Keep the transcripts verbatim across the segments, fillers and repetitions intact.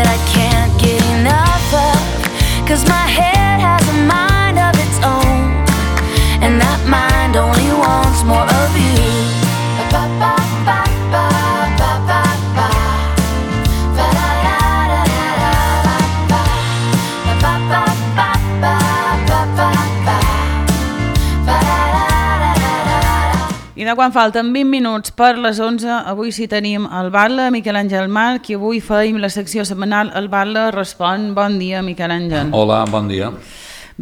that I can't get enough of, 'cause my head has a mind of its own, and that mind only wants more of you. Ba ba ba ba ba ba ba. Ba da da da da ba. Ba ba ba ba ba ba ba. Ba da da da da. I de quan falten vint minuts per les onze, avui sí tenim el Batlle, Miquel Àngel March, i avui feim la secció setmanal El Batlle respon. Bon dia, Miquel Àngel. Hola, bon dia.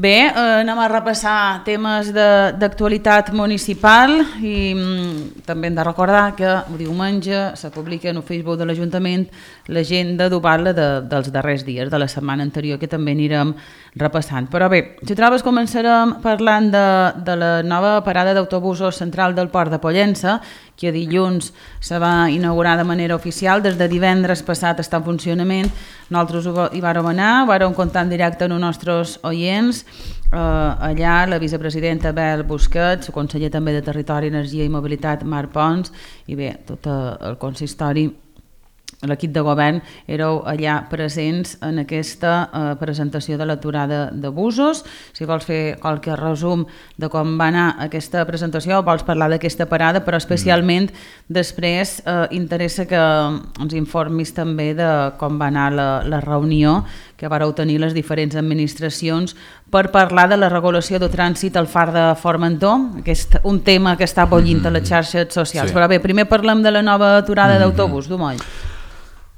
Bé, eh, anem a repassar temes d'actualitat municipal i mm, també hem de recordar que diumenge se publica en el Facebook de l'Ajuntament l'agenda d'Ubatlle de, dels darrers dies de la setmana anterior, que també anirem repassant. Però bé, si trobes, començarem parlant de, de la nova parada d'autobusos central del Port de Pollença, que dilluns se va inaugurar de manera oficial. Des de divendres passat està en funcionament. Nosaltres hi vàrem anar, vàrem comptar en directe amb els nostres oients. Uh, allà la vicepresidenta Bel Busquets, el conseller també de Territori, Energia i Mobilitat Marc Pons, i bé, tot el consistori, l'equip de govern, éreu allà presents en aquesta uh, presentació de l'aturada de busos. Si vols fer qualque resum de com va anar aquesta presentació, vols parlar d'aquesta parada, però especialment mm. després uh, interessa que ens informis també de com va anar la, la reunió que vareu tenir les diferents administracions per parlar de la regulació de trànsit al far de Formentor, aquest, un tema que està bullint a les xarxes socials. Sí. Però bé, primer parlem de la nova aturada mm-hmm. d'autobús, Dumoll.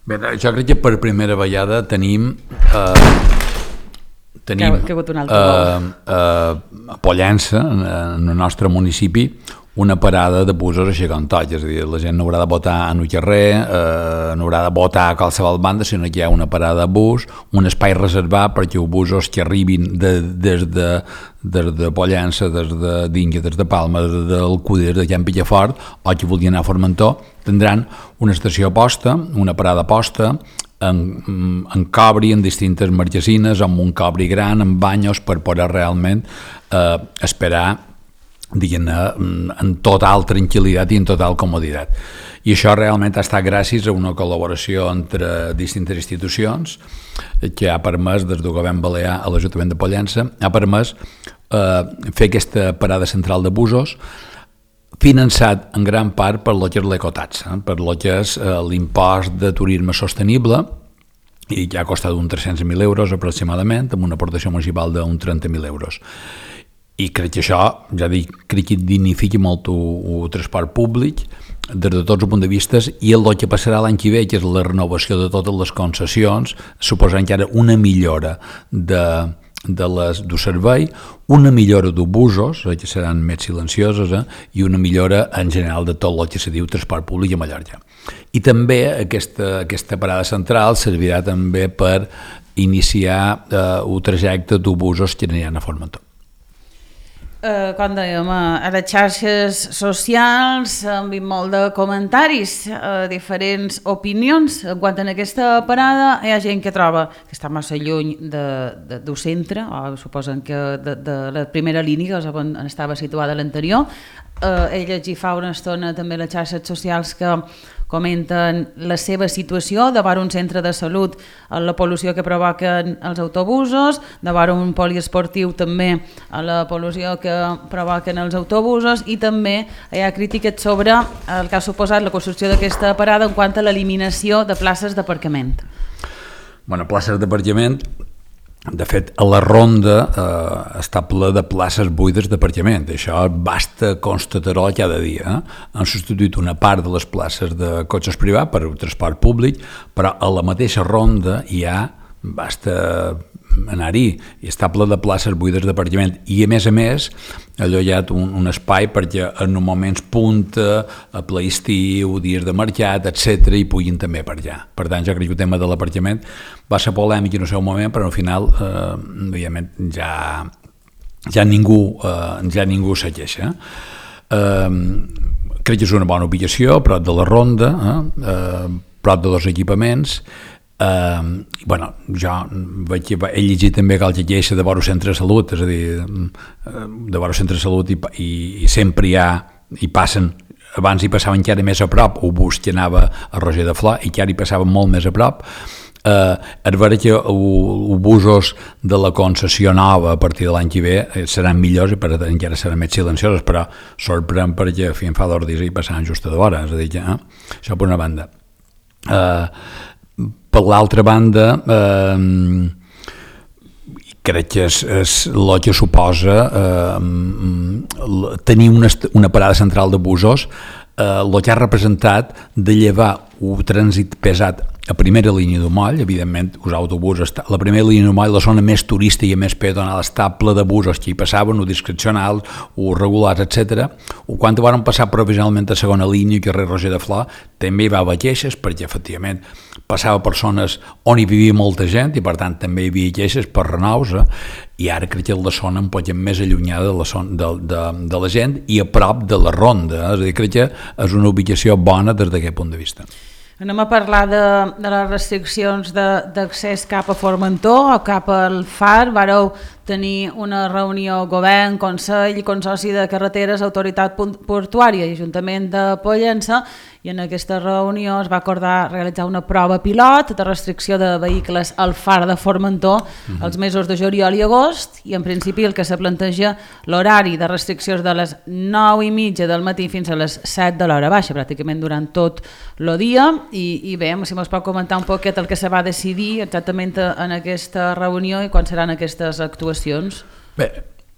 Bé, jo crec que per primera vegada tenim eh, tenim que, que eh, eh, a Pollença, en, en el nostre municipi, una parada de busos així com tot, és a dir, la gent no haurà de votar en un carrer, eh, no haurà de votar a qualsevol banda, sinó que hi ha una parada de bus, un espai reservat perquè els busos que arribin de, des, de, des de Pollença, des de Dinga, des de Palma, des d'Alcúdia, des de Can Pillafort, o que vulguin anar a Formentor, tindran una estació posta, una parada posta, en, en cobri, en distintes marquesines, amb un cobri gran, amb banyos, per poder realment eh, esperar, diguem-ne, en total tranquil·litat i en total comoditat. I això realment ha estat gràcies a una col·laboració entre distintes institucions que ha permès, des del govern balear a l'Ajuntament de Pollença, ha permès eh, fer aquesta parada central de busos, finançat en gran part per lo que és l'ecotaxa, per lo que és eh, l'impost de turisme sostenible, i que ha costat uns tres-cents mil euros aproximadament, amb una aportació municipal d'uns trenta mil euros. I crec que això, ja dic, crec que dignifica molt el transport públic des de tots els punts de vista, i el que passarà l'any que ve, que és la renovació de totes les concessions, suposant que ara una millora de, de les, del servei, una millora d'autobusos, que seran més silencioses, eh, i una millora en general de tot el que se diu transport públic a Mallorca. I també aquesta, aquesta parada central servirà també per iniciar eh, un trajecte d'autobusos que aniran a Formentor. Uh, com dèiem, a les xarxes socials hem vist molt de comentaris, uh, diferents opinions en quant a aquesta parada. Hi ha gent que troba que està massa lluny de, de, del centre, o suposen que de, de la primera línia, on estava situada l'anterior. Uh, ell hi fa una estona també les xarxes socials que comenten la seva situació davant un centre de salut, la pol·lució que provoquen els autobusos, davant un poliesportiu també la pol·lució que provoquen els autobusos, i també hi ha crítiques sobre el que ha suposat la construcció d'aquesta parada en quant a l'eliminació de places d'aparcament. Bueno, places d'aparcament, de fet, a la ronda eh, està ple de places buides d'aparcament. Això basta constatar-ho cada dia. Eh? Han substituït una part de les places de cotxes privats per transport públic, però a la mateixa ronda hi ha, basta anar-hi, i està ple de places buides d'aparcament. I a més a més, allò hi ha un, un espai perquè en moments punta, a ple estiu, dies de mercat, etcètera, hi puguin també aparcar. Per tant, jo crec que el tema de l'aparcament va ser polèmic en el seu moment, però al final eh, ja, ja ningú eh, ja ningú se queixa. Eh, crec que és una bona ubicació, prop de la ronda, eh, eh, prop de dos equipaments. Uh, bueno, jo vaig, he llegit també que el que queixa de veure centre de salut, és a dir, de veure centre de salut i, i, i sempre hi ha, hi passen, abans hi passaven encara més a prop, un bus que anava a Roger de Flor i que ara hi passaven molt més a prop. Eh, és vera que els busos de la concessió nova a partir de l'any que ve seran millors i per tant encara seran més silenciosos, però sorprèn perquè fi, fa dos dies i passaran just a d'hora, és a dir, eh? Això per una banda. Eh, per l'altra banda, eh, crec que és, és el que suposa eh, tenir una, una parada central de busos, eh, el que ha representat de llevar un trànsit pesat a primera línia de moll, evidentment, els autobusos, la primera línia de moll, la zona més turística i més peatonal, està ple de busos que hi passaven, o discrecionals, o regulars, etcètera. O quan van passar provisionalment a segona línia, carrer Roger de Flor, també hi va haver queixes, perquè efectivament passava per zones on hi vivia molta gent i per tant també hi havia queixes per renous, eh? I ara crec que la zona un poc més allunyada de la, zona, de, de, de la gent i a prop de la ronda, eh? És a dir, crec que és una ubicació bona des d'aquest punt de vista. Anem a parlar de, de les restriccions d'accés cap a Formentor o cap al Far. Vareu tenir una reunió govern, Consell, Consorci de Carreteres, Autoritat Portuària i Ajuntament de Pollença, i en aquesta reunió es va acordar realitzar una prova pilot de restricció de vehicles al Far de Formentor uh-huh. els mesos de juliol i agost, i en principi el que se planteja l'horari de restriccions de les nou i mitja del matí fins a les set de l'hora baixa, pràcticament durant tot el dia, i, i bé, si mos pot comentar un poquet el que se va decidir exactament en aquesta reunió i quan seran aquestes actuacions. Bé,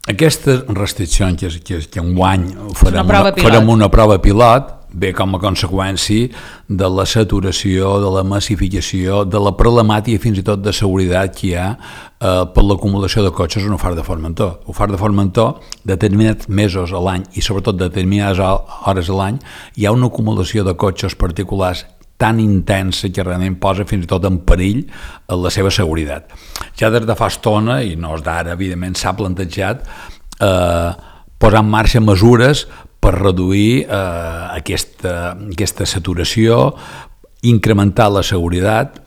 aquestes restriccions que, que, que enguany farem una, una, farem una prova pilot, ve com a conseqüència de la saturació, de la massificació, de la problemàtica fins i tot de seguretat que hi ha eh, per l'acumulació de cotxes en el Far de Formentor. El Far de Formentor, determinats mesos a l'any i sobretot determinades hores a l'any, hi ha una acumulació de cotxes particulars tan intensa que realment posa fins i tot en perill la seva seguretat. Ja des de fa estona, i no és d'ara, evidentment s'ha plantejat eh, posar en marxa mesures per reduir eh, aquesta, aquesta saturació, incrementar la seguretat,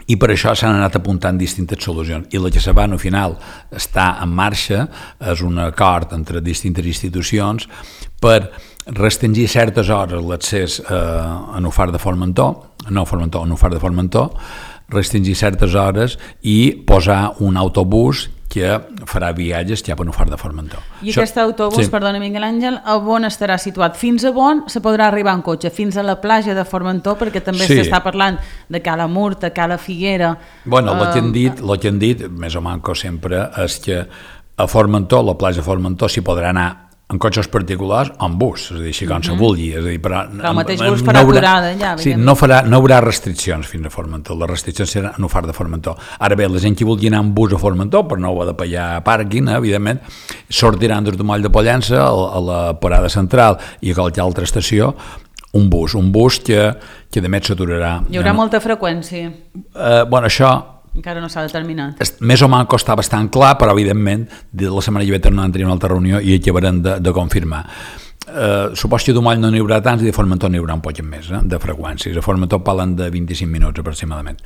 i per això s'han anat apuntant distintes solucions. I la que se va, al final, està en marxa, és un acord entre distintes institucions per restringir certes hores l'accés eh, a Nufar de Formentor, no Formentor, a Nufar de Formentor, restringir certes hores i posar un autobús que farà viatges cap a Nufar de Formentor. I Això, aquest autobús, sí. Perdona Miguel Àngel, a on estarà situat? Fins a on se podrà arribar en cotxe? Fins a la platja de Formentor, perquè també sí. S'està parlant de Cala Murta, Cala Figuera... Bueno, el que han dit, el que han dit, més o manco sempre, és que a Formentor, la platja de Formentor, s'hi podrà anar en cotxes particulars o en bus, és a dir, si com se vulgui. És a dir, però, però el mateix bus farà no haurà, aturada allà. Sí, no, farà, no haurà restriccions fins a Formentor, les restriccions seran en el Far de Formentor. Ara bé, la gent que vulgui anar en bus a Formentor, per no ho ha de pagar pàrquing, eh, evidentment, sortiran des de Moll de Pollença a, a la parada central i a qualsevol altra estació, un bus, un bus que, que de més s'aturarà. Hi haurà molta freqüència? Eh, bueno, això... Encara no s'ha determinat. Més o menys està bastant clar, però evidentment de la setmana que ve tornarem a tenir una altra reunió i acabarem de, de confirmar. Eh, supos que a Domoll no n'hi haurà tants i de Formentor n'hi haurà un poc més, eh, de freqüències. A Formentor parlen de vint-i-cinc minuts aproximadament.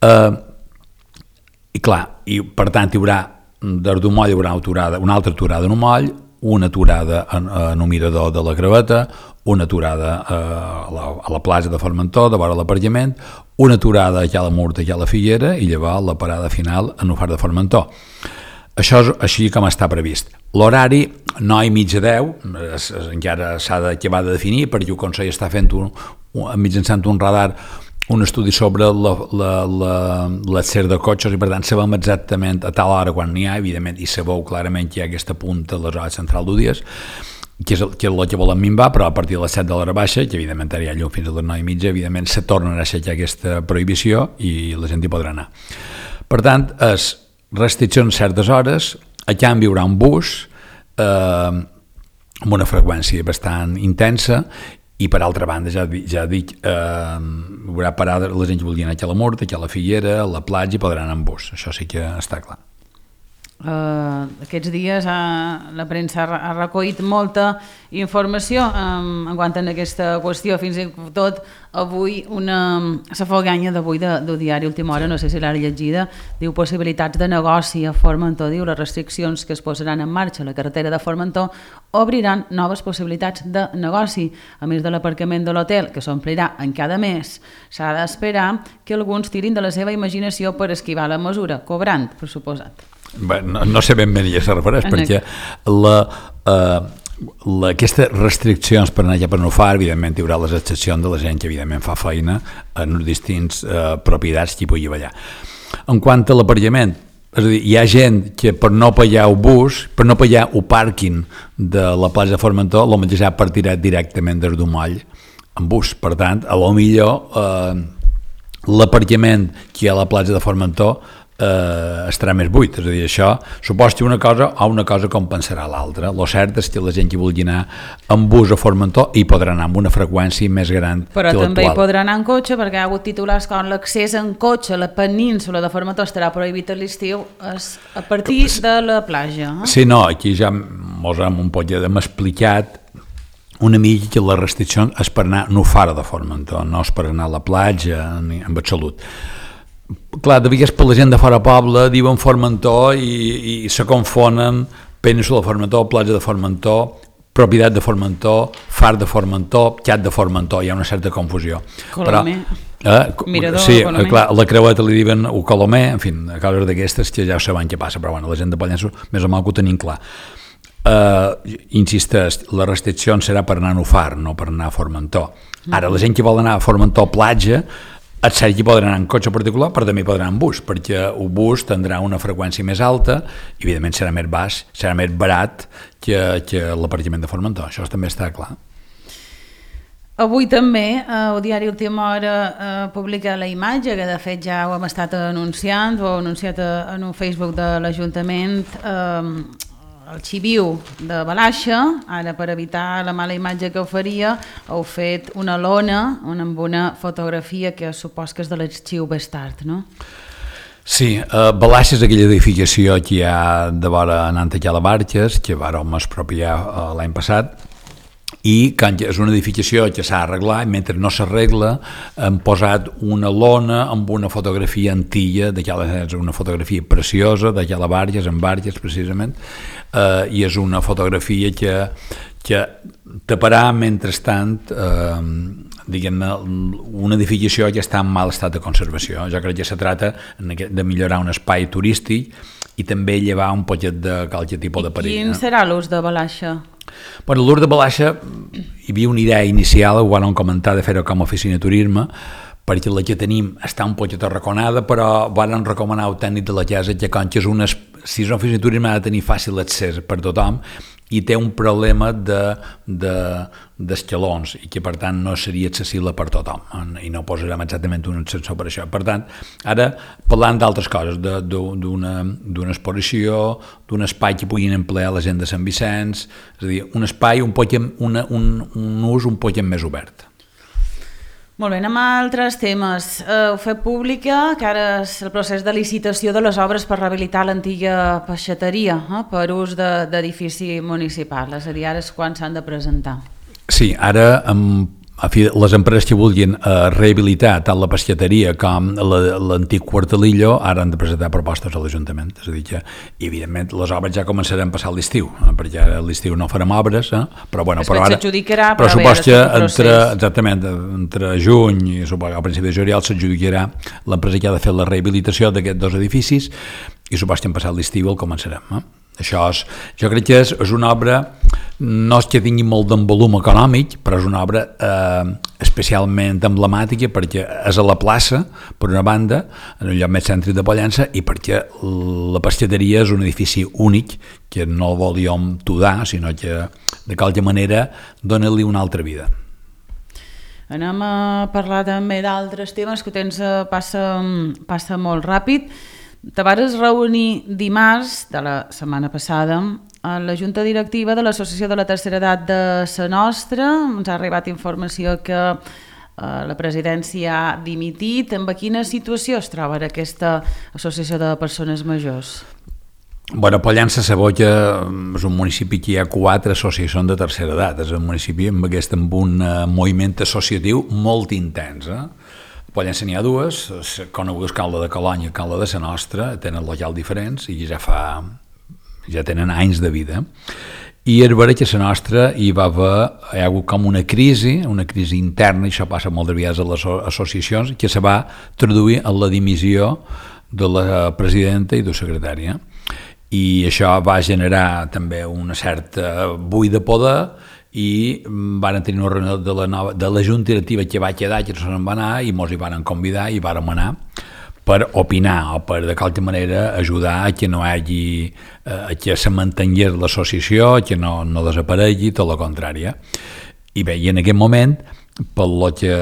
Eh, I clar, i per tant hi haurà, des Domoll hi haurà aturada, una altra aturada a Domoll, una aturada en, en un mirador de la Graveta, una aturada eh, a, la, a la plaça de Formentor, de vora l'aparcament, una aturada a Cala Murta i a la Figuera i llavors la parada final en el Far de Formentor. Això és així com està previst. L'horari, nou i mitja deu, es, es, encara s'ha d'acabar de definir perquè el Consell està fent un, un, mitjançant un radar un estudi sobre l'accés de cotxes i per tant sabem exactament a tal hora quan n'hi ha, evidentment, i sabeu clarament que hi ha aquesta punta a les hores centrals d'un dia, que és el que, el que volen minvar, però a partir de les set de l'hora baixa, que evidentment hi ha llum fins a les nou i mitja, evidentment se tornarà a aixecar aquesta prohibició i la gent hi podrà anar. Per tant, és restriccions certes hores, a canvi hi haurà un bus eh, amb una freqüència bastant intensa i per altra banda, ja, ja dic, eh, hi haurà parada, la gent que volia anar a la Murta, a la Figuera, a la platja, i podran anar en bus, això sí que està clar. Uh, aquests dies uh, la premsa ha, ha recollit molta informació um, en quant a aquesta qüestió, fins i tot avui una... la foganya d'avui del de, de diari Última Hora, sí. No sé si l'ha llegida, diu possibilitats de negoci a Formentor, diu les restriccions que es posaran en marxa a la carretera de Formentor obriran noves possibilitats de negoci. A més de l'aparcament de l'hotel, que s'omplirà en cada mes, s'ha d'esperar que alguns tirin de la seva imaginació per esquivar la mesura, cobrant, per suposat. Bé, no, no sé ben bé ni a què se refereix, en perquè la... Eh, La, aquestes restriccions per anar allà per no far, evidentment hi haurà les excepcions de la gent que evidentment fa feina en distints eh, propietats que hi pugui ballar. En quant a l'aparcament, és a dir, hi ha gent que per no pagar el bus, per no pagar el pàrquing de la plaça de Formentor, el mateix ha partirà directament des d'un moll en bus. Per tant, a lo millor eh, l'aparcament que hi ha a la plaça de Formentor Eh, estarà més buit, és a dir, això supos que una cosa o una cosa compensarà l'altra. Lo cert és que la gent que vulgui anar en bus a Formentor hi podrà anar amb una freqüència més gran però que l'actual. Però també hi podrà anar en cotxe, perquè hi ha hagut titulars com l'accés en cotxe a la península de Formentor estarà prohibit a l'estiu a partir de la platja. Eh? Sí, no, aquí ja mos hem un poc hem explicat una mica que la restricció és per anar no fora de Formentor, no és per anar a la platja ni en absolut. Clar, de vegades per la gent de fora poble diuen Formentor i, i se confonen península de Formentor, platja de Formentor, propietat de Formentor, far de Formentor, xat de Formentor, hi ha una certa confusió. Colomer, però, eh, mirador, sí, Colomer. Clar, la creueta li diuen o Colomer, en fi, a causes d'aquestes que ja saben què passa, però bueno, la gent de Pollenços més o menys ho tenim clar. Uh, insisteix, la restricció serà per anar a Nufar, no per anar a Formentor. Ara, la gent que vol anar a Formentor platja, et cert que podran anar en cotxe particular, però també podran anar en bus, perquè el bus tindrà una freqüència més alta i evidentment serà més baix, serà més barat que, que l'aparcament de Formentor, això també està clar. Avui també eh, el diari Última Hora eh, publica la imatge, que de fet ja ho hem estat anunciant, ho ha anunciat en un Facebook de l'Ajuntament, eh, el xiviu de Balaixa, ara per evitar la mala imatge que oferia, heu fet una lona amb una fotografia que supos que és de l'arxiu Bestart, no? Sí, eh, Balaixa és aquella edificació que hi ha de vora anant aquí a la Barques, que vàrem expropiar eh, l'any passat, i és una edificació que s'ha arreglat i mentre no s'arregla hem posat una lona amb una fotografia antiga, una fotografia preciosa d'aquella Barges, en Barges precisament, eh, i és una fotografia que, que taparà mentrestant eh, diguem-ne una edificació que està en mal estat de conservació. Jo crec que se trata de millorar un espai turístic i també llevar un poquet de qualque tipus de perill. Quin serà l'ús de Balaixa? Bueno, l'ús de Balaixa, hi havia una idea inicial, ho van comentar de fer-ho com a oficina de turisme, perquè la que tenim està un poquet arraconada, però van recomanar al tècnic de la casa que com que és una, si és una oficina de turisme ha de tenir fàcil accés per tothom i té un problema de, de, d'escalons i que per tant no seria accessible per tothom i no posarem exactament un ascensor per això. Per tant, ara parlant d'altres coses, de, d'una, d'una exposició, d'un espai que puguin emplear la gent de Sant Vicenç, és a dir, un espai, un, poquet, una, un, un ús un poquet més obert. Molt bé, anem a altres temes. Heu fet pública que ara és el procés de licitació de les obres per rehabilitar l'antiga peixateria eh, per ús de, d'edifici municipal. És a dir, ara és quan s'han de presentar. Sí, ara amb a fi, les empreses que vulguin eh, rehabilitar tant la pescateria com la, l'antic quartelillo ara han de presentar propostes a l'Ajuntament. És a dir que, evidentment, les obres ja començaran a passar l'estiu, eh, perquè ara a l'estiu no farem obres, eh, però, bueno, però ara... s'adjudicarà, però, però supos que entre, exactament, entre juny i supos, al principi de juliol s'adjudicarà l'empresa que ha de fer la rehabilitació d'aquests dos edificis i supos que en passat l'estiu el començarem. Eh? Això és, jo crec que és, és una obra, no és que tingui molt d'en volum econòmic, però és una obra eh, especialment emblemàtica perquè és a la plaça, per una banda, en un lloc més cèntric de Pollença, i perquè la pescateria és un edifici únic que no el volíem tudar, sinó que de qualque manera dona-li una altra vida. Anem a parlar també d'altres temes que temps passa, passa molt ràpid. Te vas reunir dimarts de la setmana passada a la Junta Directiva de l'Associació de la Tercera Edat de Sa Nostra. Ens ha arribat informació que eh, la presidència ha dimitit. En quina situació es troba aquesta associació de persones majors? Bueno, Pollença Saboja és un municipi que hi ha quatre associacions de tercera edat. És un municipi amb, aquest, amb un uh, moviment associatiu molt intens. Eh? A Pollença n'hi ha dues, conegudes Calda de Colònia i Calda de la Nostra, tenen locals diferents i ja fa ja tenen anys de vida. I és vera que a la nostra hi va haver hi ha hagut com una crisi, una crisi interna, i això passa molt de vegades a les associacions, que se va traduir en la dimissió de la presidenta i de la secretària. I això va generar també una certa buit de poder i van tenir una reunió de la, nova, de la junta directiva que va quedar, que no se'n va anar, i mos hi van convidar i vàrem anar per opinar o per de qualque manera ajudar a que no hi hagi, a que se mantingués l'associació, que no, no desaparegui, tot el contrari. I bé, i en aquest moment, pel que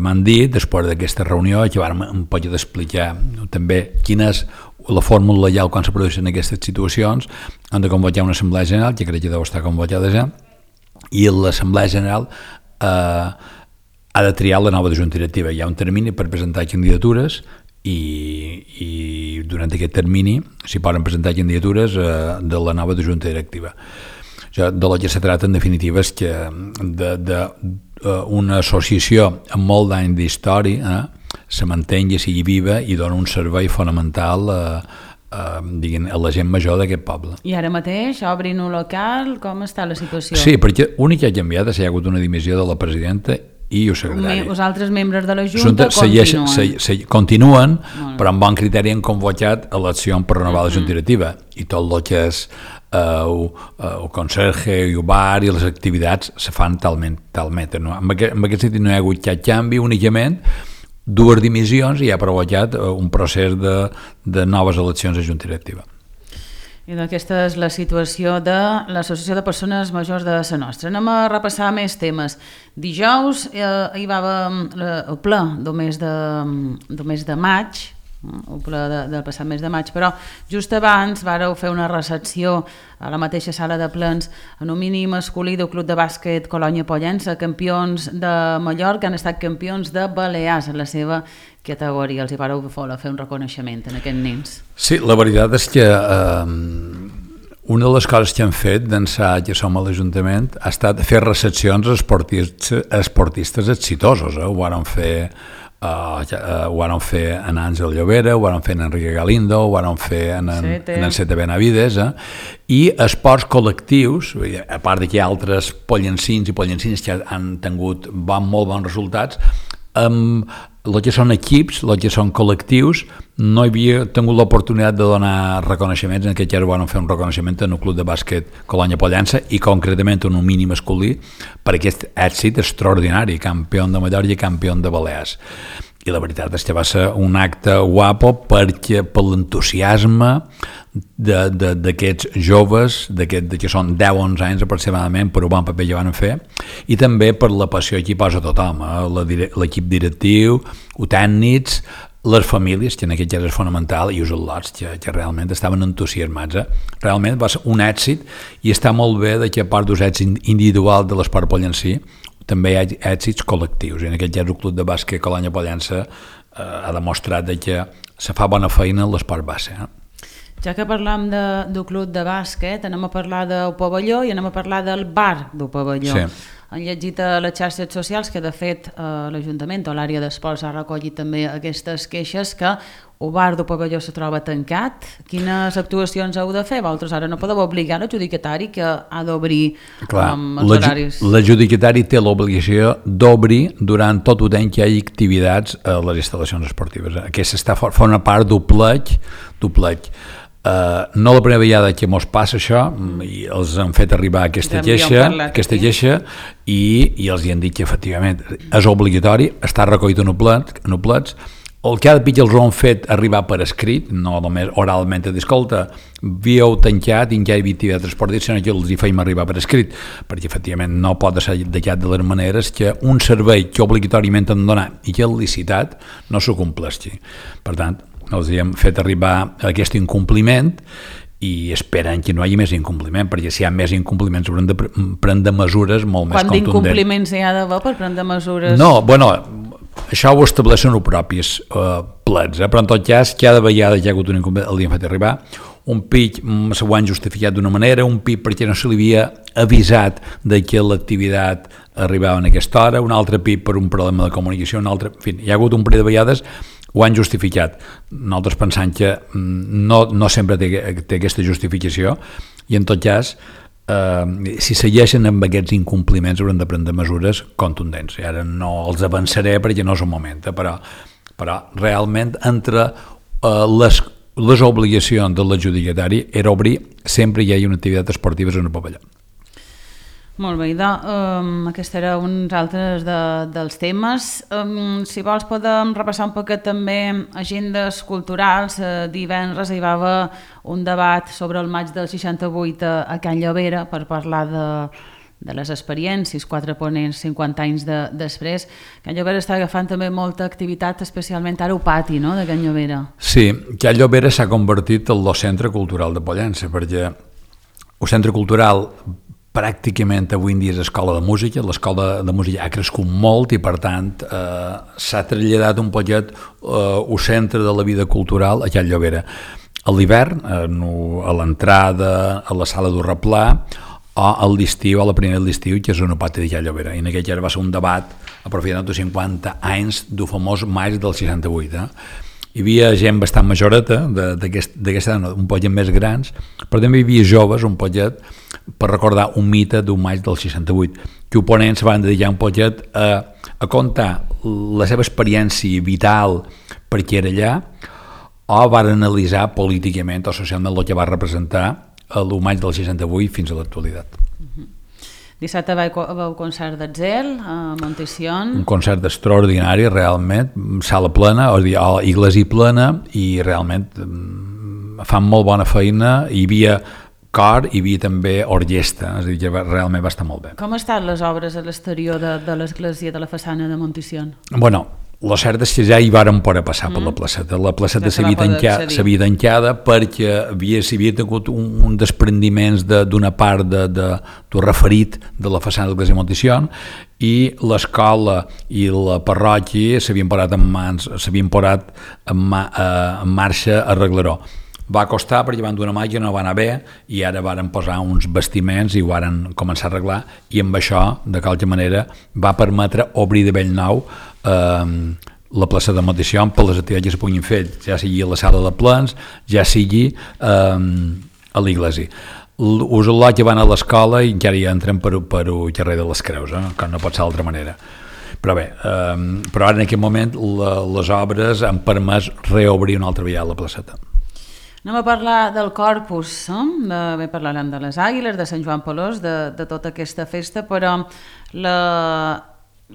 m'han dit, després d'aquesta reunió, que vam un poc d'explicar també quina és la fórmula legal quan se produeixen aquestes situacions, han de convocar una assemblea general, que crec que deu estar convocada ja, i l'assemblea general eh, ha de triar la nova junta directiva. Hi ha un termini per presentar candidatures i, i durant aquest termini s'hi poden presentar candidatures eh, de la nova junta directiva. De lo que se tracta, en definitiva, és que de, de, uh, una associació amb molt d'any d'història eh, se mantengui, sigui viva i dona un servei fonamental uh, uh, diguin, a la gent major d'aquest poble. I ara mateix obrin un local, com està la situació? Sí, perquè l'únic que ha canviat és que hi ha hagut una dimissió de la presidenta i el secretari. Els altres membres de la Junta continuen. Se, se, continuen, no. Però amb bon criteri han convocat eleccions per renovar la Junta Directiva. I tot el que és uh, el conserge i el bar i les activitats se fan talment. talment no? En, aquest, en aquest sentit no hi ha hagut cap canvi, únicament dues dimissions i ha provocat un procés de, de noves eleccions a Junta Directiva. I aquesta és la situació de l'Associació de Persones Majors de la Nostra. Anem a repassar més temes. Dijous eh, hi va haver el ple del mes de, del mes de maig, el ple de, del passat mes de maig, però just abans vàreu fer una recepció a la mateixa sala de plens en un mini masculí del Club de Bàsquet Colònia Pollença, campions de Mallorca, han estat campions de Balears en la seva categoria. Els hi vareu fer un reconeixement en aquests nens. Sí, la veritat és que eh, una de les coses que hem fet d'ençà que som a l'Ajuntament ha estat fer recepcions a esportistes, esportistes exitosos. Eh? Ho vàrem fer Uh, uh, ho van fer en Àngel Llobera, ho van fer en Enrique Galindo, ho van fer en, en, en Enceta Benavides, eh? I esports col·lectius, a part que hi ha altres pollencins i pollencines que han tingut bon, molt bons resultats, amb el que són equips, el que són col·lectius, no hi havia tingut l'oportunitat de donar reconeixements. En aquest cas van fer un reconeixement en el Club de Bàsquet Colònia Pollença i concretament en un mini masculí per aquest èxit extraordinari, campió de Mallorca i campió de Balears. I la veritat és que va ser un acte guapo perquè per l'entusiasme d'aquests joves, d'aquest, que són deu a onze anys aproximadament, per un bon paper que van fer, i també per la passió que hi posa tothom, eh? l'equip directiu, els tècnics, les famílies, que en aquest cas és fonamental, i els al·lots, que, que realment estaven entusiasmats. Eh? Realment va ser un èxit, i està molt bé que a part dels èxits individuals de l'esport pollencí, també hi ha èxits col·lectius, i en aquest cas el Club de Bàsquet Colònia Pollença eh, ha demostrat que se fa bona feina en l'esport base. Eh? Ja que parlam de, del Club de Bàsquet, anem a parlar del pavelló i anem a parlar del bar del pavelló. Sí. Han llegit a les xarxes socials que de fet eh, l'Ajuntament o l'àrea d'esports ha recollit també aquestes queixes que el bar del pavelló se troba tancat. Quines actuacions heu de fer? Vosaltres ara no podeu obligar l'adjudicatari que ha d'obrir um, els horaris. L'adjudicatari té l'obligació d'obrir durant tot el temps que hi hagi activitats a les instal·lacions esportives. Aquesta està forma part d'un pleg, d'un pleg. Uh, no la primera vegada que mos passa això, i els han fet arribar aquesta queixa, aquesta queixa i, i els hi han dit que efectivament és obligatori, està recollit en un plets. El que ha de pitjar els ho han fet arribar per escrit, no només oralment, a dir, escolta, havíeu tancat i encara hi havia activitat esportiva, sinó que els hi feim arribar per escrit, perquè efectivament no pot ser de cap de les maneres que un servei que obligatòriament han de donar i que és licitat no s'ho compleixi. Per tant, els hem fet arribar aquest incompliment i esperen que no hi hagi més incompliment, perquè si hi ha més incompliments haurem de prendre mesures molt més contundents. Quant d'incompliments hi ha d'haver per prendre mesures? No, bueno, això ho estableixen els propis uh, plets, eh? Però en tot cas, cada vegada que hi ha hagut un incompliment, el hem fet arribar. un pic s'ho han justificat d'una manera, un pic perquè no se li havia avisat de que l'activitat arribava en aquesta hora, un altre pic per un problema de comunicació, un altre... En fi, hi ha hagut un parell de vegades ho han justificat. Nosaltres pensant que no, no sempre té, té aquesta justificació i en tot cas eh, si segueixen amb aquests incompliments hauran de prendre mesures contundents. I ara no els avançaré perquè no és el moment, eh, però, però realment entre eh, les les obligacions de l'adjudicatari era obrir sempre hi hagi una activitat esportiva en el pavelló. Molt bé, idò, um, aquest era uns altres de, dels temes. Um, si vols podem repassar un poquet també agendes culturals. Uh, divendres hi va haver un debat sobre el maig del seixanta-vuit a, a Can Llovera per parlar de de les experiències, quatre ponents cinquanta anys de, després. Can Llovera està agafant també molta activitat, especialment ara al pati, no?, de Can Llovera. Sí, Can Llovera s'ha convertit en el centre cultural de Pollença, perquè el centre cultural pràcticament avui en dia és escola de música, l'escola de música ha crescut molt i per tant eh, s'ha traslladat un poquet eh, el centre de la vida cultural a Can Llovera. A l'hivern, a l'entrada, a la sala del replà, o a l'estiu, a la primera de l'estiu, que és un pati de Can Llovera. I en aquell va ser un debat aprofitant de cinquanta anys del famós maig del seixanta-vuit. Eh? Hi havia gent bastant majoreta, d'aquesta un poquet més grans, però també hi havia joves, un poquet, per recordar un mite d'un maig del seixanta-vuit, que oponents van dedicar un poquet a, a contar la seva experiència vital perquè era allà, o van analitzar políticament o socialment el que va representar el maig del seixanta-vuit fins a l'actualitat. Uh-huh. Dissabte va haver un concert d'Atzel a Montession. Un concert extraordinari, realment, sala plena, o iglesia plena, i realment fan molt bona feina. Hi havia cor, hi havia també orquestra, és a dir, que realment va estar molt bé. Com estan les obres a l'exterior de, de l'església de la façana de Montession? Bueno, la cert és que ja hi vàrem poder passar mm. per la placeta. La placeta s'havia tancat, tancada perquè havia, havia tingut un, un desprendiments d'una de, part de, de, de referit de la façana de l'església de Montession i l'escola i la parròquia s'havien posat en mans, s'havien posat en, ma, eh, en marxa a arreglar-ho. Va costar perquè van donar mà que no va anar bé i ara varen posar uns vestiments i ho varen començar a arreglar i amb això, de qualque manera, va permetre obrir de bell nou eh, la plaça de Montession per les activitats que es puguin fer, ja sigui a la sala de plens, ja sigui eh, a l'església. Us el que van a l'escola i encara hi entren per, per el carrer de les Creus, eh? Que no pot ser d'altra manera. Però bé, eh, però ara en aquest moment la, les obres han permès reobrir una altra vegada la placeta. Anem a parlar del Corpus, eh? de, bé, parlarem de les Àguiles, de Sant Joan Pelós, de, de tota aquesta festa, però la,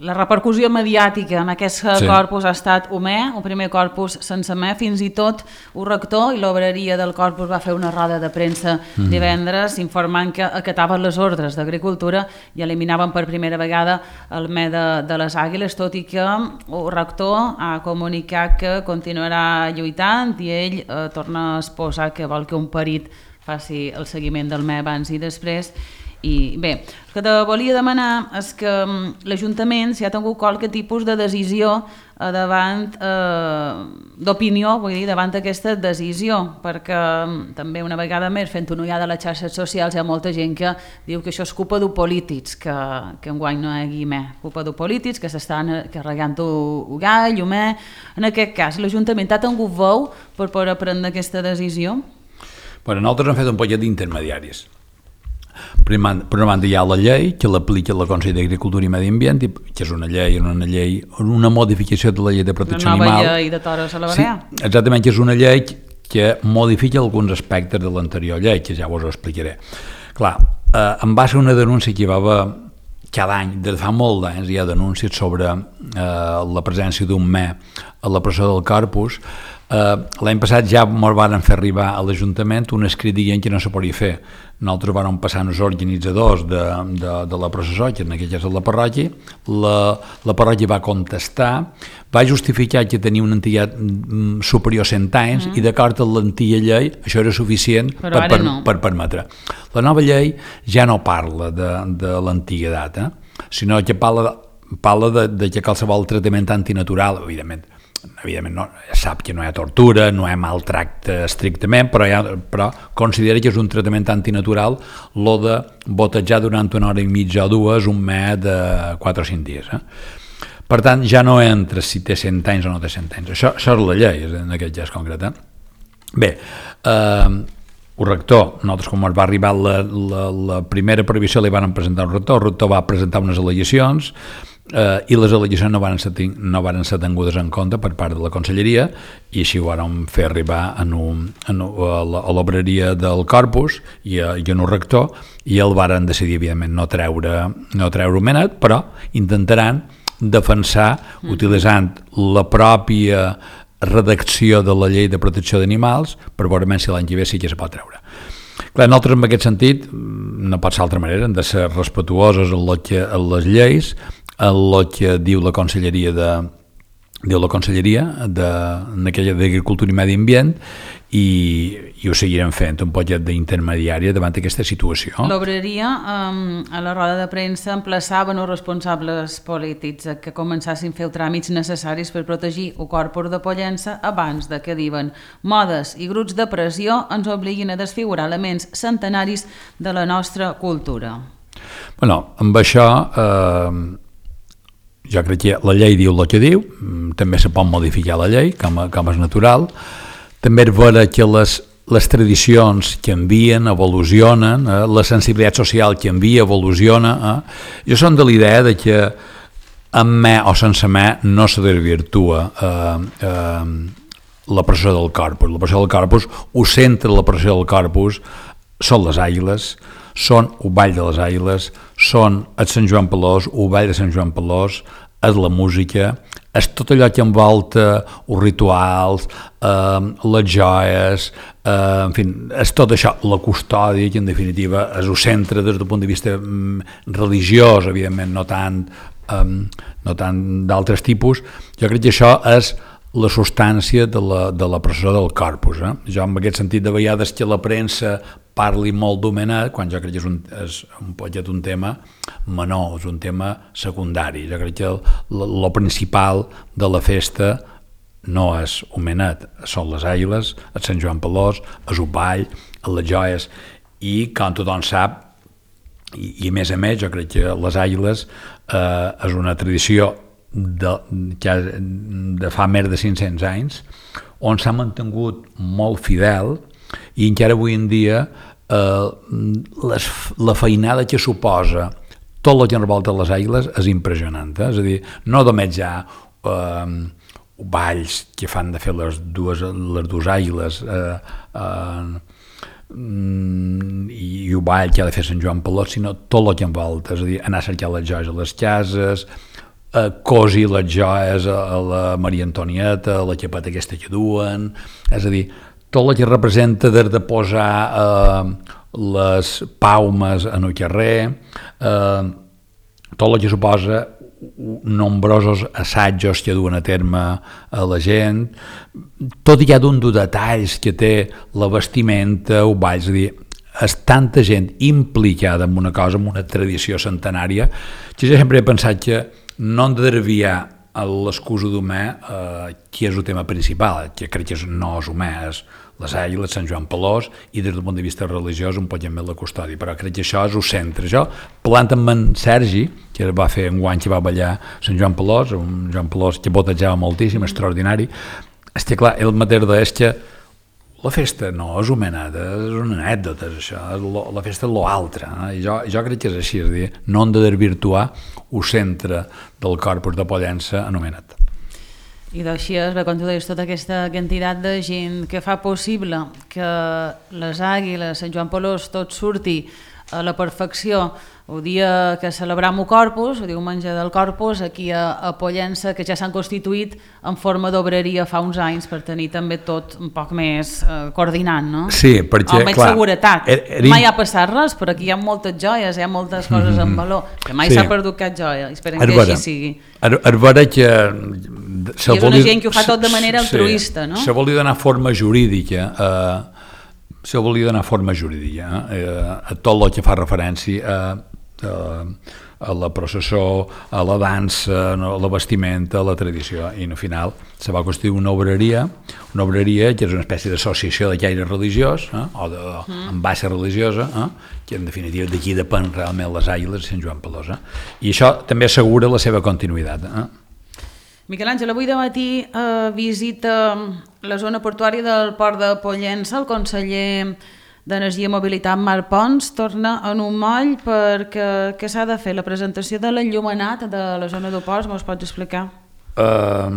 la repercussió mediàtica en aquest sí. Corpus ha estat humè, un primer Corpus sense me, fins i tot el rector i l'obreria del Corpus va fer una roda de premsa mm. divendres informant que acataven les ordres d'Agricultura i eliminaven per primera vegada el me de, de les Àguiles, tot i que el rector ha comunicat que continuarà lluitant i ell eh, torna a exposar que vol que un perit faci el seguiment del me abans i després. I bé, el que te volia demanar és que l'Ajuntament si ha tingut qualque tipus de decisió eh, davant eh, d'opinió, vull dir, davant d'aquesta decisió, perquè també una vegada més fent una ullada a les xarxes socials hi ha molta gent que diu que això és culpa dels polítics, que, que enguany no hi hagi més, culpa dels polítics que s'estan carregant el gall, el me. En aquest cas, l'Ajuntament ha tingut veu per poder prendre aquesta decisió? Bueno, nosaltres hem fet un poquet d'intermediaris. Per una banda hi ha la llei que l'aplica la Consell d'Agricultura i Medi Ambient, que és una llei, una llei, una modificació de la llei de protecció animal. Una nova llei de toros a la Barea. Sí, exactament, que és una llei que modifica alguns aspectes de l'anterior llei, que ja us ho explicaré. Clar, eh, em va ser una denúncia que hi va haver cada any, des de fa molt d'anys hi ha denúncies sobre eh, la presència d'un me a la presó del Corpus. Uh, l'any passat ja ens van fer arribar a l'Ajuntament un escrit dient que no se podia fer. Nosaltres vam passar els organitzadors de, de, de la processó, que en aquell cas és la parròquia, la, la parròquia va contestar, va justificar que tenia una antiguitat superior a cent anys mm. i d'acord amb l'antiga llei això era suficient per, per, no. per permetre. La nova llei ja no parla de, de l'antiguitat, eh? Sinó que parla, parla de, de que qualsevol tractament antinatural, evidentment, evidentment no, sap que no hi ha tortura, no hi ha maltracte estrictament, però, ha, però considera que és un tractament antinatural lo de botejar durant una hora i mitja o dues un met de quatre o cinc dies. Eh? Per tant, ja no entra si té cent anys o no té cent anys. Això, això és la llei, en aquest cas concret. Eh? Bé, eh, el rector, nosaltres com ens va arribar la, la, la primera previsió li van presentar un rector, el rector va presentar unes al·legacions eh, i les al·legacions no van, ser, no van ser tingudes en compte per part de la conselleria i així ho vam fer arribar en un, en un, a l'obreria del Corpus i, a, i en un rector i el varen decidir evidentment no treure, no treure un menet, però intentaran defensar mm. utilitzant la pròpia redacció de la llei de protecció d'animals per veure si l'any que ve sí que se pot treure. Clar, nosaltres en aquest sentit no pot ser d'altra manera, hem de ser respetuosos en, que, en les lleis, en el que diu la Conselleria de diu la Conselleria de, d'Agricultura i Medi Ambient i, i ho seguirem fent un poquet d'intermediària davant d'aquesta situació. L'obreria, um, a la roda de premsa, emplaçaven els responsables polítics a que començassin a fer els tràmits necessaris per protegir el corpus de Pollença abans de que, diuen, modes i grups de pressió ens obliguin a desfigurar elements centenaris de la nostra cultura. Bueno, amb això eh, jo crec que la llei diu el que diu, també se pot modificar la llei, com, com és natural. També és vera que les, les tradicions canvien, evolucionen, eh? la sensibilitat social canvia, evoluciona. Eh? Jo som de l'idea de que amb me o sense me no se desvirtua eh, eh, la pressió del corpus. La pressió del corpus, ho centra la pressió del corpus, són les àguiles, són el ball de les àguiles, són el Sant Joan Pelós, el ball de Sant Joan Pelós, és la música, és tot allò que envolta els rituals, eh, les joies, eh, en fi, és tot això, la custòdia, que en definitiva és el centre des del punt de vista mm, religiós, evidentment, no tant, eh, no tant d'altres tipus. Jo crec que això és la substància de la, de la pressió del corpus. Eh? Jo, en aquest sentit, de vegades que la premsa parli molt d'homenat, quan jo crec que és un, és un poquet un tema menor, és un tema secundari. Jo crec que el principal de la festa no és homenat, són les àguiles, el Sant Joan Pelós, és el ball, les joies, i com tothom sap, i, i a més a més, jo crec que les àguiles eh, és una tradició de, de fa més de cinc-cents anys, on s'ha mantingut molt fidel i encara avui en dia eh, les, la feinada que suposa tot el que envolta les àguiles és impressionant. Eh? És a dir, no només hi ha eh, balls que fan de fer les dues, les dues àguiles eh, eh, i, i el ball que ha de fer Sant Joan Pelós, sinó tot el que envolta, és a dir, anar a cercar les joies a les cases, eh, cosir les joies a la Maria Antonieta, a la xapeta aquesta que duen, és a dir, tot el que representa des de posar eh, les paumes en el carrer, eh, tot el que suposa nombrosos assajos que duen a terme a la gent, tot i cada un dels detalls que té la vestimenta, ho vaig dir, és tanta gent implicada en una cosa, en una tradició centenària, que jo sempre he pensat que no hem de desviar l'excusa d'humà, eh, que és el tema principal, que crec que no és humà, és les àguiles, Sant Joan Pelós, i des del punt de vista religiós un poc més la custòdia, però crec que això és el centre. Jo, parlant amb en Sergi, que va fer un guany que va ballar Sant Joan Pelós, un Joan Pelós que botejava moltíssim, extraordinari, és que clar, el mateix és que la festa no és homenada, és una anècdota, és això, és lo, la festa és l'altre, eh? I jo, jo crec que és així, és a dir, no hem de desvirtuar el centre del corpus de Pollença anomenat. I d'així és, com tu deies, tota aquesta quantitat de gent que fa possible que les àguiles, Sant Joan Pelós, tot surti a la perfecció el dia que celebram el Corpus, el diumenge del Corpus, aquí a, a Pollença, que ja s'han constituït en forma d'obreria fa uns anys per tenir també tot un poc més eh, coordinat, no? Sí, perquè, amb clar... seguretat. Er, er... Mai ha passat res, però aquí hi ha moltes joies, hi ha moltes coses en valor, que mai s'ha sí. perdut cap joia, i esperem que així sigui. És vera que... I és una gent que ho fa tot de manera altruista, sí, no? Se volia donar forma jurídica, eh, se volia donar forma jurídica eh, a tot el que fa referència a, a, a la processó, a la dansa, a la vestimenta, a la tradició, i al final se va construir una obreria, una obreria que és una espècie d'associació de caire religiós, eh? o de mm. amb base religiosa, eh? que en definitiva d'aquí depèn realment les Àguiles de Sant Joan Pelosa, i això també assegura la seva continuïtat. Eh? Miquel Àngel, avui de matí eh, visita la zona portuària del port de Pollença. El conseller d'Energia i Mobilitat, Marc Pons, torna en un moll perquè què s'ha de fer? La presentació de l'enllumenat de la zona d'Oports, m'ho pots explicar? Uh,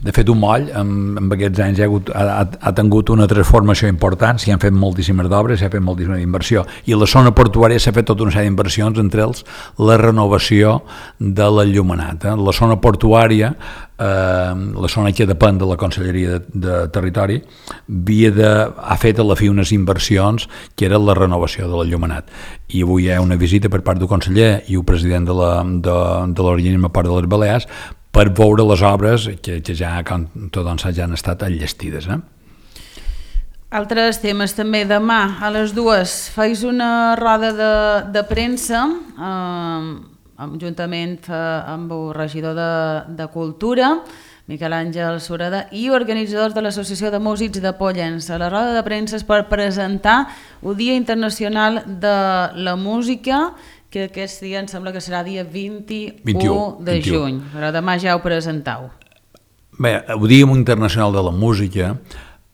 de fet, un moll en, en aquests anys ha, hagut, ha, ha tingut una transformació important, s'hi han fet moltíssimes d'obres, s'ha fet moltíssima inversió, i la zona portuària s'ha fet tota una sèrie d'inversions, entre els la renovació de l'enllumenat. Eh? La zona portuària, eh, la zona que depèn de la Conselleria de, de Territori, havia de, ha fet a la fi unes inversions que era la renovació de l'enllumenat, i avui hi ha una visita per part del conseller i el president de l'organisme Port de les Balears per veure les obres que, que ja, doncs, ja han estat enllestides. Eh? Altres temes també. Demà a les dues fais una roda de, de premsa eh, juntament amb el regidor de, de Cultura, Miquel Àngel Sureda, i organitzadors de l'Associació de Músics de Pollença. La roda de premsa és per presentar el Dia Internacional de la Música, que aquest dia em sembla que serà dia vint-i-u de juny, però demà ja ho presentau. Bé, el Dia Internacional de la Música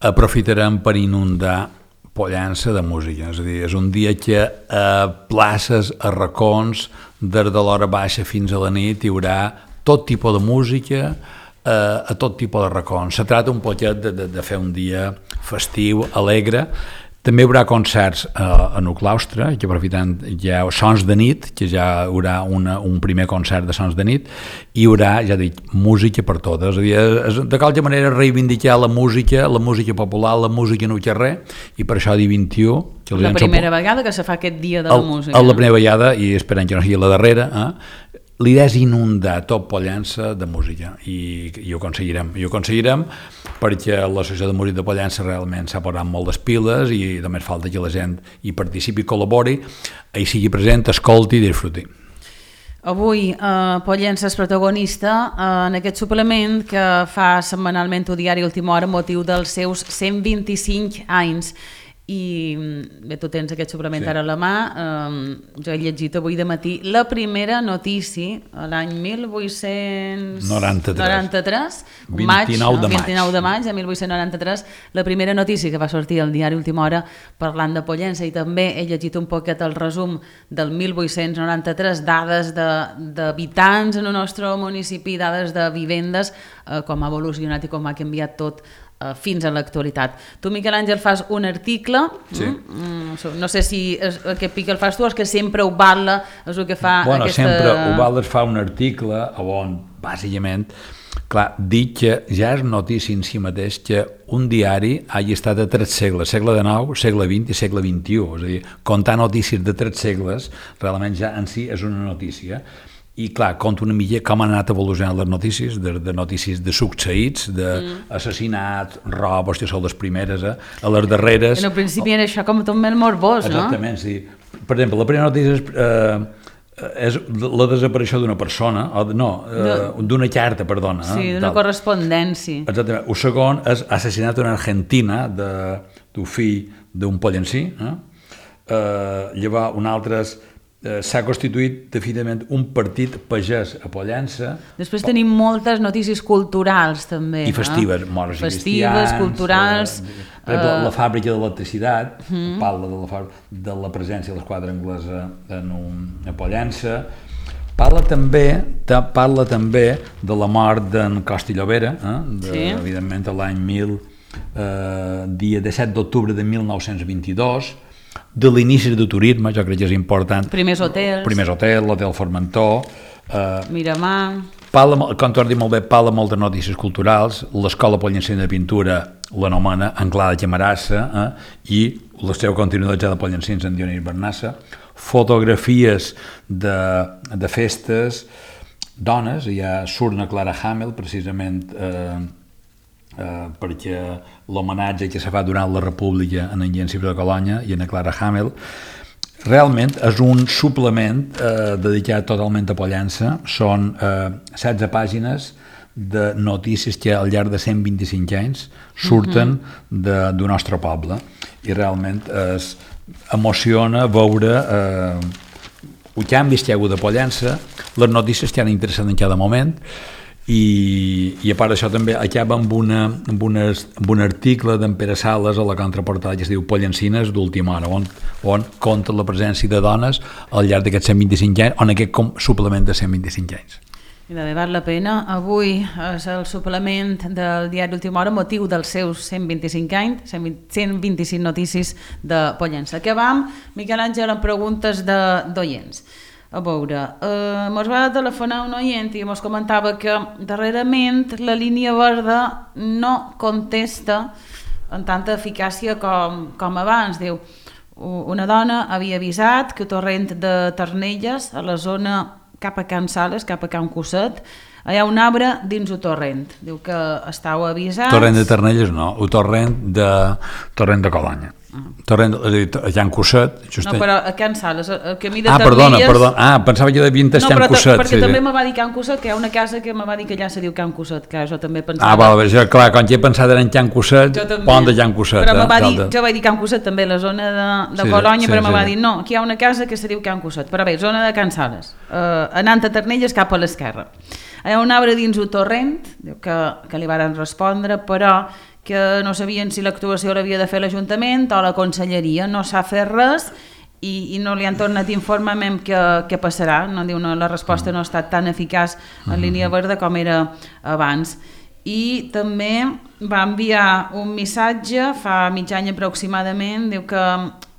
aprofitarem per inundar Pollença de música, és a dir, és un dia que a places, a racons, des de l'hora baixa fins a la nit hi haurà tot tipus de música, a tot tipus de racons. Se tracta un poquet de, de, de fer un dia festiu, alegre. També hi haurà concerts eh, en el claustre, que aprofitant ja sons de nit, que ja hi haurà una, un primer concert de sons de nit, i hi haurà, ja dic, música per totes. És a dir, és, de qualque manera reivindicar la música, la música popular, la música en el carrer, i per això dia vint-i-u... Que la primera vegada que se fa aquest dia de la el, música. El, la primera vegada, i esperant que no sigui la darrera, eh? L'idea és inundar tot Pollença de música, i, i ho aconseguirem. I ho aconseguirem perquè l'Associació de Músics de Pollença realment s'ha posat molt les piles i només falta que la gent hi participi, col·labori, hi sigui present, escolti i disfruti. Avui eh, Pollença és protagonista eh, en aquest suplement que fa setmanalment el diari Última Hora amb motiu dels seus cent vint-i-cinc anys. I bé, tu tens aquest suplement sí. ara a la mà, eh, jo he llegit avui de matí la primera notícia l'any mil vuit-cents noranta-tres, vint-i-nou de maig, vint-i-nou de maig de mil vuit-cents noranta-tres, la primera notícia que va sortir al diari Última Hora parlant de Pollença, i també he llegit un poquet el resum del mil vuit-cents noranta-tres, dades d'habitants en el nostre municipi, dades de vivendes, eh, com ha evolucionat i com ha canviat tot fins a l'actualitat. Tu, Miquel Àngel, fas un article, sí. mm, no sé si és, aquest pic el fas tu o és que sempre ho vala, és el que fa bueno, aquesta... sempre ho vala fa un article on, bàsicament, clar, dic que ja és notícia en si mateix que un diari hagi estat a tres segles, segle dinou, segle vint i segle vint-i-u, és a dir, comptar notícies de tres segles, realment ja en si és una notícia. I clar, conta una mica com han anat evolucionant les notícies, de, de notícies de succeïts, d'assassinats, mm. robos, que són les primeres, eh? A les darreres... En el principi era això com tot molt morbós, no? Exactament, sí. Per exemple, la primera notícia és, eh, és la desaparició d'una persona, o de, no, eh, d'una carta, perdona. Sí, eh, d'una correspondència. Exactament. El segon és assassinat en Argentina d'un fill d'un pollencí. Eh? Eh, llavors, un altre és Eh, s'ha constituït definitivament un partit pagès a Pollença. Després tenim moltes notícies culturals també. I festives, eh? morts festives, i cristians. culturals. Eh, per exemple, uh, la fàbrica d'electricitat, uh, parla de la, de la presència de l'esquadra anglesa en un, a Pollença. Parla també, ta, parla també de la mort d'en Costa i Llobera, eh? de, sí. evidentment l'any mil, eh, dia disset d'octubre de mil nou-cents vint-i-dos, de l'inici del turisme, jo crec que és important. Primers hotels. Primers hotels, l'hotel Formentor. Eh, Miramar. Parla, com tu has dit molt bé, parla molt de notícies culturals. L'Escola Pollencina de Pintura l'anomena Anglada Camarassa, eh, i la seva continuïtat ja de Pollencins en Dionís Bernassa. Fotografies de, de festes, dones, hi ha Surna Clara Hamel, precisament eh, eh, perquè l'homenatge que se fa durant la República en en Cibre de Colònia i en Clara Hamel. Realment és un suplement eh, dedicat totalment a Pollença. Són eh, setze pàgines de notícies que al llarg de cent vint-i-cinc anys surten uh-huh. de, del nostre poble, i realment es emociona veure eh, els canvis que hi ha hagut a Pollença, les notícies que han interessat en cada moment. I, i a part d'això també acaba amb, una, amb, unes, amb un article d'en Pere Sales a la contraportada que es diu Pollencines d'última hora, on, on compta la presència de dones al llarg d'aquests cent vint-i-cinc anys, on aquest com suplement de cent vint-i-cinc anys. I de val la pena. Avui és el suplement del diari Última Hora, motiu dels seus cent vint-i-cinc anys, cent vint-i-cinc notícies de Pollença. Acabam, Miquel Àngel, amb preguntes d'oients. A veure, eh, mos va telefonar un oient i mos comentava que darrerament la línia verda no contesta amb tanta eficàcia com, com abans. Diu, una dona havia avisat que el torrent de Ternelles, a la zona cap a Can Sales, cap a Can Cosset, hi ha un arbre dins el torrent. Diu que estàu avisats... Torrent de Ternelles no, el torrent de, torrent de Colanya. Uh. Torrent, és a dir, a Can Cosset... No, però a Can Sales, el camí de ah, Ternelles... Ah, perdona, perdona. Ah, pensava que devien estar no, Can Cosset. Perquè sí, també sí. me va dir Can Cosset, que hi ha una casa que me va dir que allà se diu Can Cosset, que jo també pensava... Ah, val, jo, clar, quan jo he pensat en Can Cosset, pont de Can Cosset. Però me va eh, dir, jo vaig dir Can Cosset també, la zona de, de sí, Colònia, sí, però me sí, va dir, no, aquí hi ha una casa que se diu Can Cosset. Però bé, zona de Can Sales, eh, anant a Ternelles cap a l'esquerra. Hi ha un arbre dins el torrent, que, que li varen respondre, però que no sabien si l'actuació l'havia de fer l'Ajuntament o la Conselleria. No s'ha fet res i, i no li han tornat informament què, què passarà. No, diu, no, la resposta no ha estat tan eficaç en línia verda com era abans. I també va enviar un missatge fa mig any aproximadament, diu que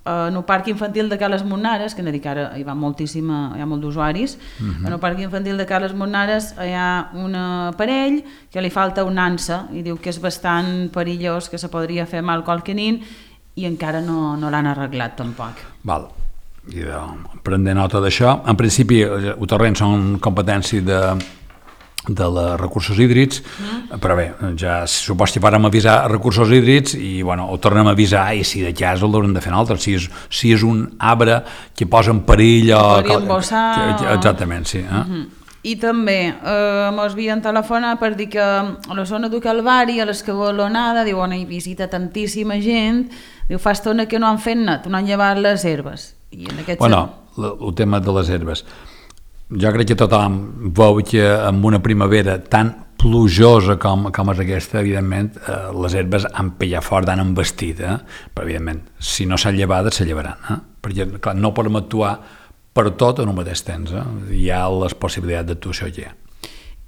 en el parc infantil de Cales Monares, que hem de dir que ara hi va moltíssima, hi ha molt d'usuaris, uh-huh. en el parc infantil de Cales Monares hi ha un aparell que li falta un ansa i diu que és bastant perillós, que se podria fer mal qualque nin, i encara no, no l'han arreglat tampoc. Val. I de, prendre nota d'això. En principi, el torrent són competència de de les recursos hídrics, mm. però bé, ja supos que vàrem avisar recursos hídrics i bueno, ho tornem a avisar i si de cas el haurem de fer altre, si és, si és un arbre que posa en perill o... Podria embossar... Exactament, sí. Eh? Mm-hmm. I també eh, mos havien telefonat per dir que a la zona del Calvari, a l'Escabalonada, diu, on hi visita tantíssima gent, diu, fa estona que no han fet net, no han llevat les herbes. I en aquest bueno, el, el tema de les herbes. Jo crec que tothom veu que amb una primavera tan plujosa com, com és aquesta, evidentment, eh, les herbes han pillat fort, han embestit, eh? Però evidentment, si no s'han llevat, se llevaran, eh? Perquè clar, no podem actuar per tot en un mateix temps, eh? Hi ha les possibilitats d'actuació aquí.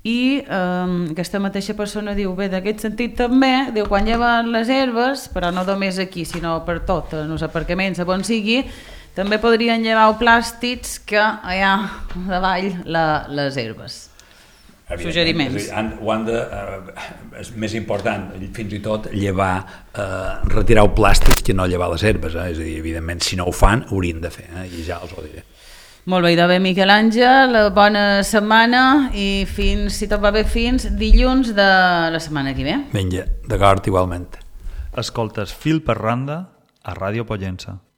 I eh, aquesta mateixa persona diu, bé, d'aquest sentit també, diu, quan lleven les herbes, però no només aquí, sinó per tot, en els aparcaments, a on sigui, també podrien llevar plàstics que allà davall la, les herbes. Suggeriments. Han, ho han de, eh, és més important, fins i tot, llevar, eh, retirar el plàstic que no llevar les herbes. Eh? És a dir, evidentment, si no ho fan, ho haurien de fer, eh? I ja els ho diré. Molt bé, idò bé, Miquel Àngel, bona setmana i fins, si tot va bé, fins dilluns de la setmana que ve. Vinga, d'acord, igualment. Escoltes Fil per Randa a Ràdio Pollença.